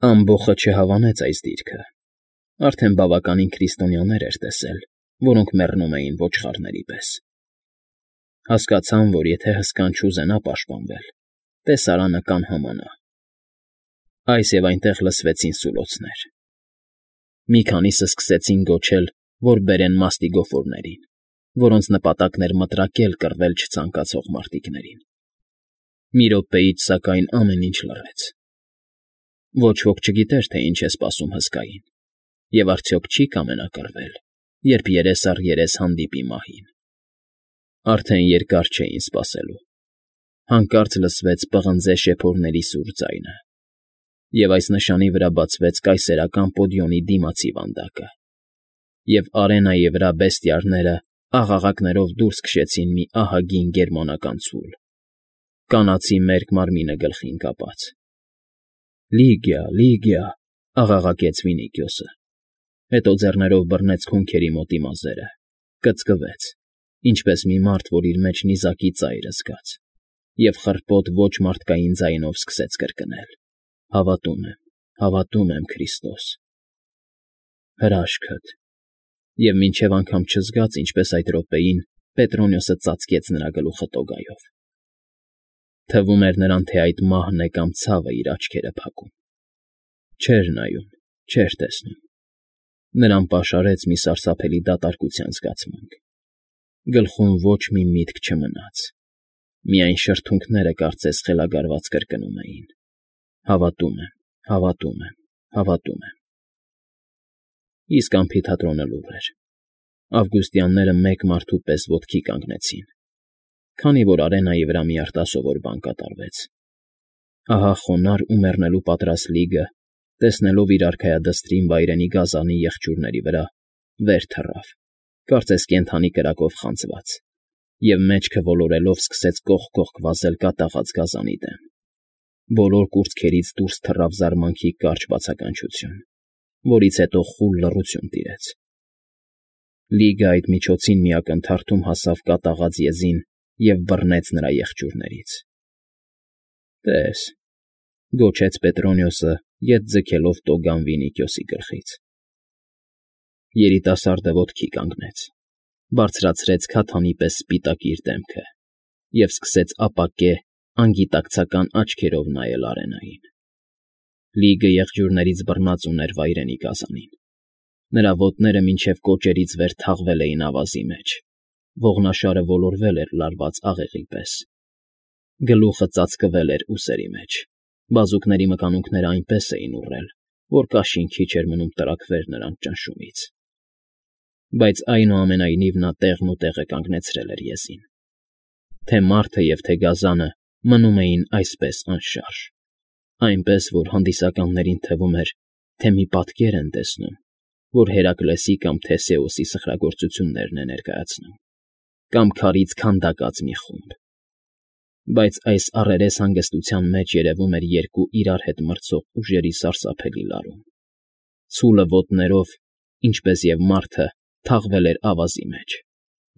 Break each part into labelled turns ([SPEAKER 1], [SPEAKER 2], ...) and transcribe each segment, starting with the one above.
[SPEAKER 1] Ամբոխը չհավանեց այս դիրքը. արդեն բավականին քրիստոնյաներ էր տեսել, որոնք մեռնում էին ոչխարների պես. հասկացան, որ եթե հսկան չուզենա պաշտպանվել, տեսարանը կանհամանա. այս և այնտեղ լսվեցին սուլոցներ. մի քանիսը սկսեցին գոչել, որ բերեն մաստիգոֆորներին, որոնց նպատակն էր մտրակել կռվել չցանկացող մարտիկներին. մի րոպեից, սակայն, ամեն ինչ լռեց. ոչ ոք չգիտեր, թե ինչ է սպասում հսկային, և արդյոք չի կամենա կռվել, երբ երես առ երես հանդիպի մահին. արդեն երկար չէին սպասելու. հանկարծ լսվեց պղնձե շեփորների սուր ձայնը, և այս նշանի վրա բացվեց կայսերական պոդիոմի դիմացի վանդակը, և արենայի վրա բեստիաները աղաղակներով դուրս քշեցին մի ահագին գերմանական ցուլ, կանացի մերկ մարմինը գլխին կապած։ «Լիգիա, Լիգիա», աղաղակեց Վինիքիոսը, հետո ձեռներով բռնեց քունքերի մոտի մազերը, կծկվեց, ինչպես մի մարդ, որ իր մեջ նիզակի ծայրը զգաց, և խռպոտ ոչ մարդկային ձայնով սկսեց կրկնել. «Հավատում եմ, Քրիստոս»։ «Հրաշքդ»։ Եվ մինչև անգամ չզգաց, ինչպես այդ րոպեին Պետրոնիոսը ծածկեց նրա գլուխը տոգայով։ Թվում էր նրան, թե այդ մահն է կամ ցավը իր աչքերը փակում։ Չէր նայում, չէր տեսնում։ Նրան պաշարեց մի սարսափելի դատարկության զգացմունք։ Գլխում ոչ մի միտք չմնաց։ Միայն շրթունքները կարծես խելագարված կրկնում էին. «Հավատում եմ»։ Իսկ ամֆիթատրոնը լուռ էր։ Ավգուստյանները մեկ մարդու պես ոտքի կանգնեցին, քանի որ արենայի վրա մի արտասովոր բան կատարվեց։ Ահա խոնարհ ու մեռնելու պատրաստ Լիգը, տեսնելով իր արքայադստրին վայրենի գազանի եղջյուրների վրա, վեր թռավ, կարծես կենդանի կրակով խանձված, և մեջքը ոլորելով սկսեց կողք վազել կատաղած գազանի դեմ։ Բոլոր կուրծքերից դուրս թռավ զարմանքի կարճ բացականչություն, որից հետո խուլ լռություն տիրեց։ Լիգը այդ միջոցին մի ակնթարթում հասավ կատաղած եզին և բռնեց նրա եղջյուրներից։ «Տես», գոչեց Պետրոնիոսը, ետ ձգելով տոգան Վինիքիոսի գլխից։ Երիտասարդը ոտքի կանգնեց, բարձրացրեց քաթանի պես սպիտակ իր դեմքը և սկսեց ապակե, անգիտակցական աչքերով նայել արենային։ Լիգը եղջյուրներից բռնած ուներ վայրենի գազանին։ Նրա ոտները մինչև կոճերից վեր թաղվել էին ավազի մեջ, ողնաշարը ոլորվել էր լարված աղեղի պես։ Գլուխը ծածկվել էր ուսերի մեջ, բազուկների մկանունքները այնպես էին ուռել, որ կաշին քիչ էր մնում տրաքվեր նրանց ճնշումից։ Բայց այնուամենայնիվ նա տեղն ու տեղը կանգնեցրել էր եզին։ Թե մարդը և թե գազանը մնում էին այսպես անշարժ, այնպես, որ հանդիսականներին թվում էր, թե մի պատկեր են տեսնում, որ Հերակլեսի կամ Թեսեոսի սխրագործություններն է ներկայացնում, կամ քարից քանդակած մի խումբ։ Բայց այս առերես հանգստության մեջ երևում էր երկու իրար հետ մրցող ուժերի սարսափելի լարում։ Ցուլը ոտներով, ինչպես և մարդը, թաղվել էր ավազի մեջ։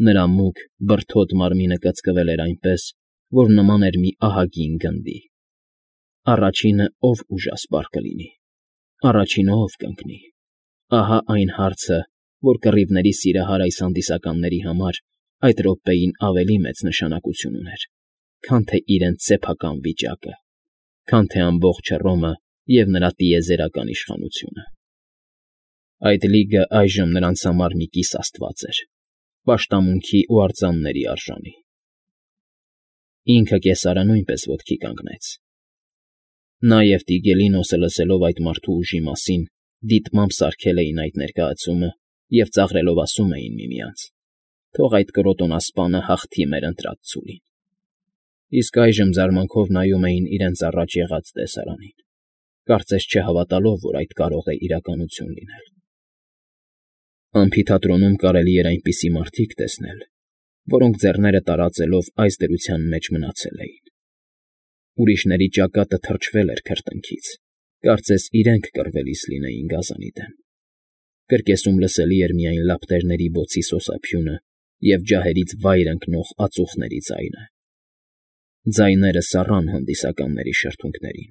[SPEAKER 1] Նրա մուգ, բրդոտ մարմինը կծկվել էր այնպես, որ նման էր մի ահագին գնդի։ Առաջինը ով ուժասպառ կլինի, առաջինը ով կընկնի։ Ահա այն հարցը, որ կռիվների սիրահար այս հանդիսականների համար այդ րոպեին ավելի մեծ նշանակություն ուներ, քան թե իրենց սեփական վիճակը, քան թե ամբողջ Հռոմը և նրա տիեզերական իշխանությունը։ Այդ Լիգը այժմ նրանց համար մի կիս աստված էր, պաշտամունքի ու արձանների արժանի։ Ինքը կեսարը նույնպես ոտքի կանգնեց։ Նա և Տիգելինոսը լսելով այդ մարդու ուժի մասին, դիտմամբ սարքել էին այդ ներկայացումը և ծաղրելով ասում էին միմյանց. «Թող այդ կրոտոնասպանը հաղթի մեր ընտրած ցուլին»։ Իսկ այժմ զարմանքով նայում էին իրենց առաջ եղած տեսարանին, կարծես չհավատալով, որ այդ կարող է իրականություն լինել։ Ամֆիթատրոնում կարելի էր այնպիսի մարդիկ տեսնել, որոնք ձեռները տարածելով այս դրության մեջ մնացել էին։ Ուրիշների ճակատը թրջվել էր քրտինքից, կարծես իրենք կռվելիս լինեին գազանի դեմ։ Կրկեսում լսելի էր միայն լապտերների բոցի սոսափյունը և ջահերից վայր ընկնող ածուխների ձայնը։ Ձայները սառան հանդիսականների շրթունքներին,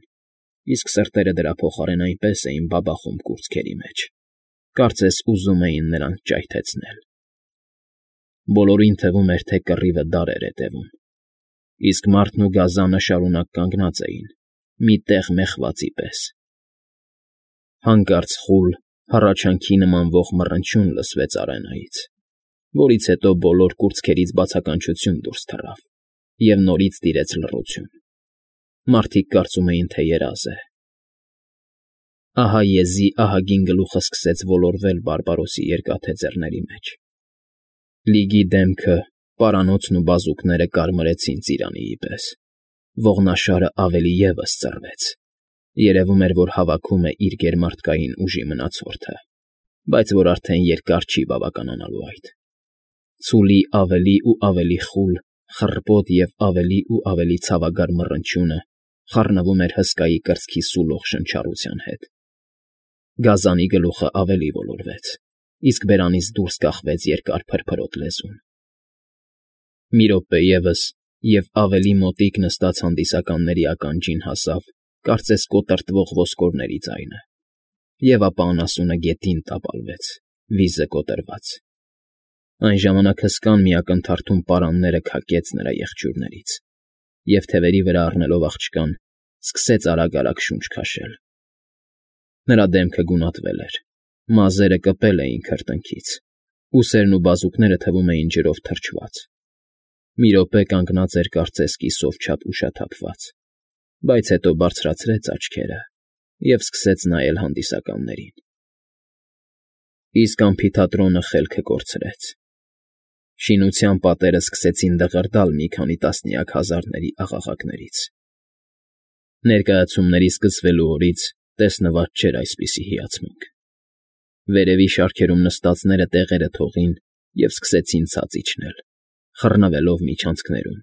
[SPEAKER 1] իսկ սրտերը դրա փոխարեն այնպես էին բաբախում կուրծքերի մեջ, կարծես ուզում էին նրանց ճայթեցնել։ Բոլորին թվում էր, թե կռիվը դար էր հետևում, իսկ մարդն ու գազանը շարունակ կանգնած էին, մի տեղ մեխվածի պես։ Հանկարծ խուլ, հառաչանքի նմանվող մռնչյուն լսվեց արենայից, որից հետո բոլոր կուրծքերից բացականչություն դուրս թռավ և նորից տիրեց լռություն։ Մարդիկ կարծում էին, թե երազ է։ Ահա եզի ահագին գլուխը սկսեց ոլորվել Բարբարոսի երկաթե ձեռների մեջ։ Լիգի դեմքը, պարանոցն ու բազուկները կարմրեցին ծիրանիի պես, ողնաշարը ավելի ևս ծռվեց։ Երևում էր, որ հավաքում է իր գերմարտկային ուժի մնացորդը, բայց որ արդեն երկար չի բավականանալու այդ։ Ցուլի ավելի ու ավելի խուլ, խռպոտ և ավելի ու ավելի ցավագար մռնչյունը խառնվում էր հսկայի կրծքի սուլող շնչառության հետ։ Գազանի գլուխը ավելի ոլորվեց, իսկ բերանից դուրս կախվեց երկար փրփրոտ լեզուն։ Մի րոպե ևս, և ավելի մոտիկ նստած հանդիսականների ականջին հասավ, կարծես կոտրտվող ոսկորների ձայնը, և ապա անասունը գետին տապալվեց, վիզը կոտրված։ Այն ժամանակ հսկան մի ակնթարթում պարանները քակեց նրա եղջյուրներից և, թևերի վրա առնելով աղջկան, սկսեց արագ֊արագ շունչ քաշել։ Նրա դեմքը գունատվել էր, մազերը կպել էին քրտինքից, ուսերն ու բազուկները թվում էին ջրով թրջված։ Մի րոպե կանգնած էր կարծես կիսով չափ ուշաթափված, բայց հետո բարձրացրեց աչքերը և սկսեց նայել հանդիսականներին։ Իսկ ամֆիթատրոնը խելքը կորցրեց։ Շինության պատերը սկսեցին դղրդալ մի քանի տասնյակ հազարների աղաղակներից։ Ներկայացումների սկսվելու օրից տեսնված չէր այսպիսի հիացմունք։ Վերևի շարքերում նստածները տեղերը թողին և սկսեցին ցած իջնել, խռնվելով միջանցքներում,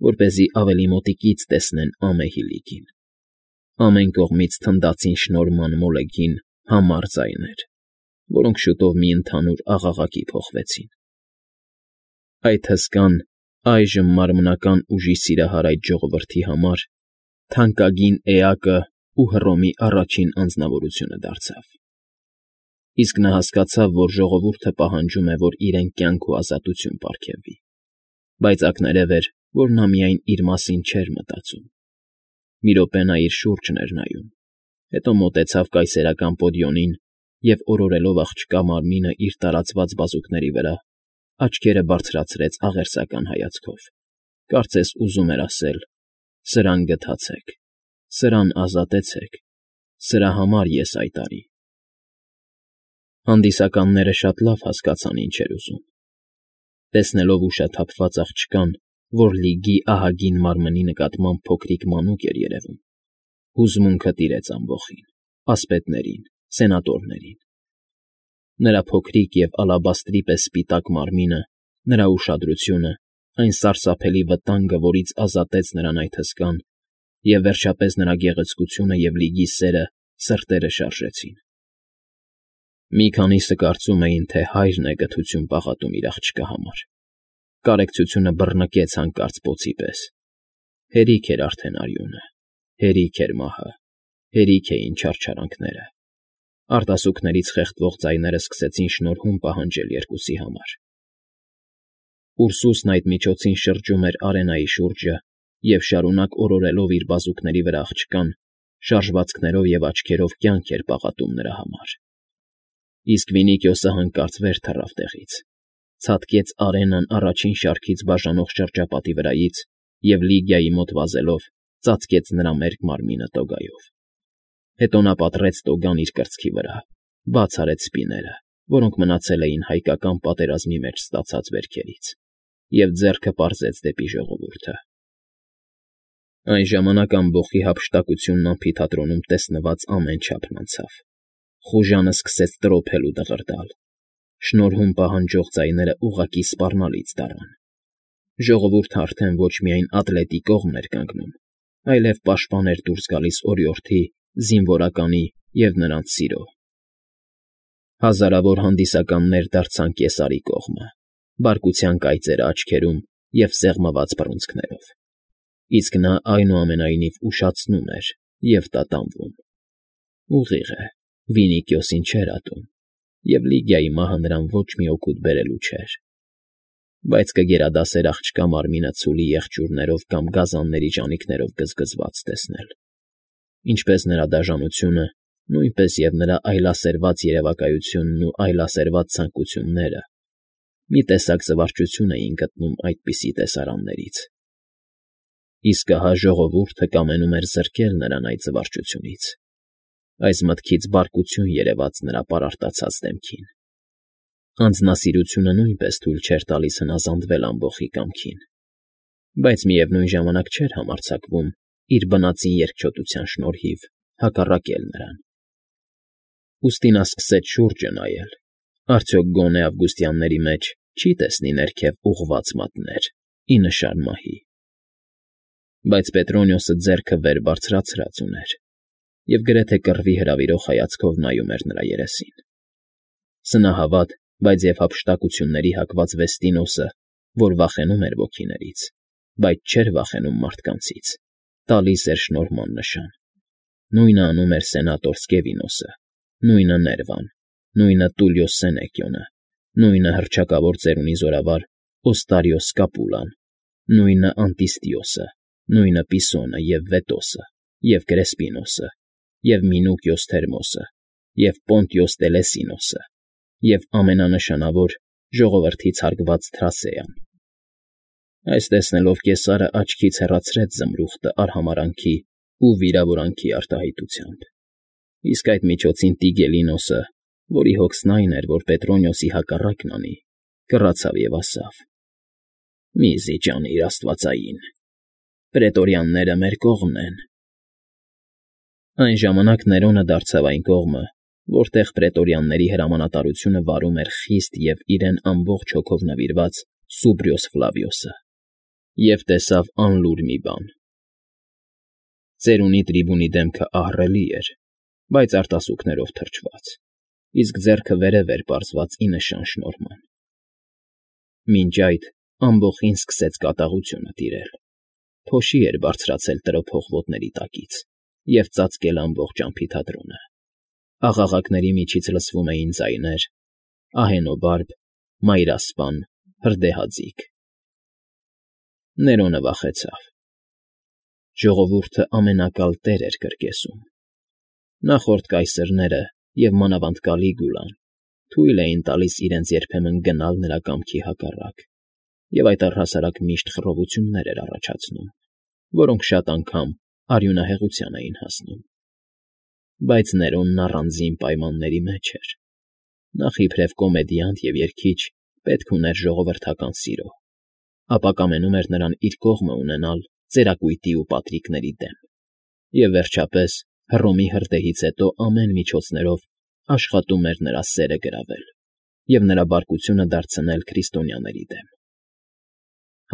[SPEAKER 1] որպեսզի ավելի մոտիկից տեսնեն ամեհի լիգին։ Ամեն կողմից թնդացին շնորհման մոլեգին համառ ձայներ, որոնք շուտով մի ընդհանուր աղաղակի փոխվեցին։ Այդ հսկան, այժմ մարմնական ուժի սիրահար այդ ժողովրդի համար թանկագին էակը ու Հռոմի առաջին անձնավորությունը դարձավ։ Իսկ նա հասկացավ, որ ժողովուրդը պահանջում է, որ իրեն կյանք ու ազատություն պարգևվի, բայց ակներև էր, որ նա միայն իր մասին չէր մտածում։ Մի րոպե նա իր շուրջն էր նայում, հետո մոտեցավ կայսերական պոդիոնին և, օրորելով աղջկա մարմինը իր տարածված բազուկների վրա, աչքերը բարձրացրեց աղերսական հայացքով, կարծես ուզում էր ասել. «Սրան գթացեք, սրան ազատեցեք, սրա համար ես այդ արի»։ Հանդիսականները շատ լավ հասկացան ինչ էր ուզում։ Տեսնելով ուշաթափված աղջկան, որ լիգի ահագին մարմնի նկատմամբ փոքրիկ մանուկ էր երևում, հուզմունքը տիրեց ամբոխին, ասպետներին, սենատորներին։ Նրա փոքրիկ և ալաբաստրի պես սպիտակ մարմինը, նրա ուշադրությունը, այն սարսափելի վտանգը, որից ազատեց նրան այդ հսկան, և, վերջապես, նրա գեղեցկությունը և լիգի սերը սրտերը շարժեցին։ Մի քանիսը կարծում էին, թե հայրն է գթություն պաղատում իր աղջկա համար։ Կարեկցությունը բռնկեց հանկարծ պոցի պես։ Հերիք էր արդեն արյունը, հերիք էր մահը, հերիք էին չարչարանքները։ Արտասուքներից խեղդվող ձայները սկսեցին շնորհում պահանջել երկուսի համար։ Ուրսուսն այդ միջոցին շրջում էր արենայի շուրջը և, շարունակ օրորելով իր բազուկների վրա աղջկան, շարժվածքներով և աչքերով կյանք էր պաղատում նրա համար։ Իսկ Վինիքիոսը հանկարծ վեր թռավ տեղից, ցատկեց արենան առաջին շարքից բաժանող շրջապատի վրայից և, Լիգիայի մոտ վազելով, ծածկեց նրա մերկ մարմինը տոգայով։ Հետո նա պատռեց տոգան իր կրծքի վրա, բաց արեց սպիները, որոնք մնացել էին հայկական պատերազմի մեջ ստացած վերքերից, և ձեռքը պարզեց դեպի ժողովուրդը։ Այն ժամանակ ամբոխի հափշտակությունն ամֆիթատրոնում տեսնված ամեն չափն անցավ։ Խուժանը սկսեց տրոփել ու դղրդալ։ Շնորհում պահանջող ձայները ուղղակի սպառնալից դառան։ Ժողովուրդը արդեն ոչ միայն ատլետի կողմն էր կանգնում, այլև պաշտպան էր դուրս գալիս օրիորդի, զինվորականի և նրանց սիրո։ Հազարավոր հանդիսականներ դարձան կեսարի կողմը, բարկության կայծերը աչքերում և սեղմված բռունցքներով։ Իսկ նա, այնուամենայնիվ, ուշացնում էր, և տատանվում։ Ուղիղ է, Վինիկիոսին չէր ատում, և Լիգիայի մահը նրան ոչ մի օգուտ բերելու չէր, բայց կգերադասեր աղջկա մարմինը ցուլի եղջյուրներով կամ գազանների ճանիքներով գզգզված տեսնել, ինչպես նրա դաժանությունը, նույնպես և նրա այլասերված երևակայությունն ու այլասերված ցանկությունները մի տեսակ զվարճություն էին գտնում այդպիսի տեսարաններից։ Իսկ ահա ժողովուրդը կամենում էր զրկել նրան այդ զվարճությունից, այս մտքից բարկություն երևաց նրա պարարտացած դեմքին։ Անձնասիրությունը նույնպես թույլ չէր տալիս հնազանդվել ամբոխի կամքին, բայց միևնույն ժամանակ չէր համարձակվում իր բնածին երկչոտության շնորհիվ հակառակել նրան։ Ուստի նա սկսեց շուրջը նայել. արդյոք գոնե ավգուստյանների մեջ չի տեսնի ներքև ուղղված մատներ, ի նշան մահի։ Բայց Պետրոնիոսը ձեռքը վեր բարձրացրած ուներ և գրեթե կռվի հրավիրող հայացքով նայում էր նրա երեսին։ Սնահավատ, բայց և հափշտակությունների հակված Վեստինոսը, որ վախենում էր ոգիներից, բայց չէր վախենում մարդկանցից, տալիս էր շնորհման նշան։ Նույնը անում էր սենատոր Սկևինոսը, նույնը Ներվան, նույնը Տուլիոս Սենեկիոնը, նույնը հռչակավոր ծերունի զորավար Օստարիոս Կապուլան, նույնը Անտիստիոսը, նույնը Պիսոնը և Վետոսը, և Կրեսպինոսը, և Մինուկիոս Թերմոսը, և Պոնտիոս Տելեսինոսը, և ամենանշանավոր ժողովրդից հարգված Թրասեան։ Այս տեսնելով կեսարը աչքից հեռացրեց զմրուխտը արհամարհանքի ու վիրավորանքի արտահայտությամբ, իսկ այդ միջոցին Տիգելինոսը, որի հոգսն այն էր, որ Պետրոնիոսի հակառակն անի, կռացավ և ասավ. «Մի՛ զիջանիր, աստվածային, պրետորյանները մեր կողմն են»։ Այն ժամանակ Ներոնը դարձավ այն կողմը, որտեղ պրետորյանների հրամանատարությունը վարում էր խիստ և իրեն ամբողջ հոգով նվիրված Սուբրիոս Ֆլավիոսը, և տեսավ անլուր մի բան. ծերունի տրիբունի դեմքը ահռելի էր, բայց արտասուքներով թրջված, իսկ ձեռքը վերև էր պարզված ի նշան շնորհման։ Մինչ այդ ամբոխին սկսեց կատաղությունը տիրել, փոշի էր բարձրացել տրոփող ոտների տակից և ծածկել ամբողջ ամֆիթատրոնը։ Աղաղակների միջից լսվում էին ձայներ. ահենոբարբ, մայրասպան, հրդեհաձիգ։ Ներոնը վախեցավ։ Ժողովուրդը ամենակալ տեր էր կրկեսում։ Նախորդ կայսրները և մանավանդ Կալիգուլան թույլ էին տալիս իրենց երբեմն գնալ նրա կամքի հակառակ, և այդ առհասարակ միշտ խռովություններ էր առաջացնում, որոնք շատ անգամ արյունահեղության էին հասնում։ Բայց Ներոնն առանձին պայմանների մեջ էր։ Նախ իբրև կոմեդիանտ և երգիչ պետք ուներ ժողովրդական սիրո, ապա կամենում էր նրան իր կողմը ունենալ ծերակույտի ու պատրիկների դեմ, և վերջապես, Հռոմի հրդեհից հետո ամեն միջոցներով աշխատում էր նրա սերը գրավել և նրա բարկությունը դարձնել քրիստոնյաների դեմ։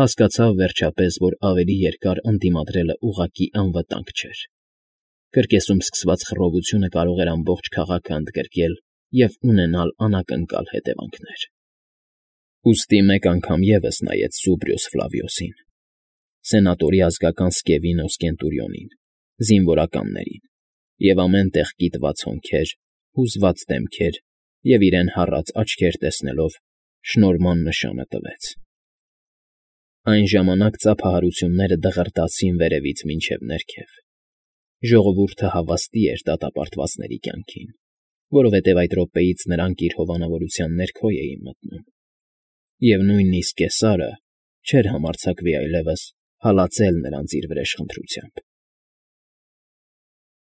[SPEAKER 1] Հասկացավ, վերջապես, որ ավելի երկար ընդդիմադրելը ուղղակի անվտանգ չէր։ Կրկեսում սկսված խռովությունը կարող էր ամբողջ քաղաքը ընդգրկել և ունենալ անակնկալ հետևանքներ։ Ուստի մեկ անգամ ևս նայեց Սուբրիոս Ֆլավիոսին, սենատորի ազգական Սկևինոս Կենտուրիոնին, զինվորականներին, և ամեն տեղ կիտված հոնքեր, հուզված դեմքեր և իրեն հառած աչքեր տեսնելով շնորհման նշանը տվեց։ Այն ժամանակ ծափահարությունները դղրդացին վերևից մինչև ներքև։ Ժողովուրդը հավաստի էր դատապարտվածների կյանքին, որովհետև այդ րոպեից նրանք իր հովանավորության ներքո էին մտնում, և նույնիսկ Կեսարը չէր համարձակվի այլևս հալածել նրանց իր վրեժխնդրությամբ։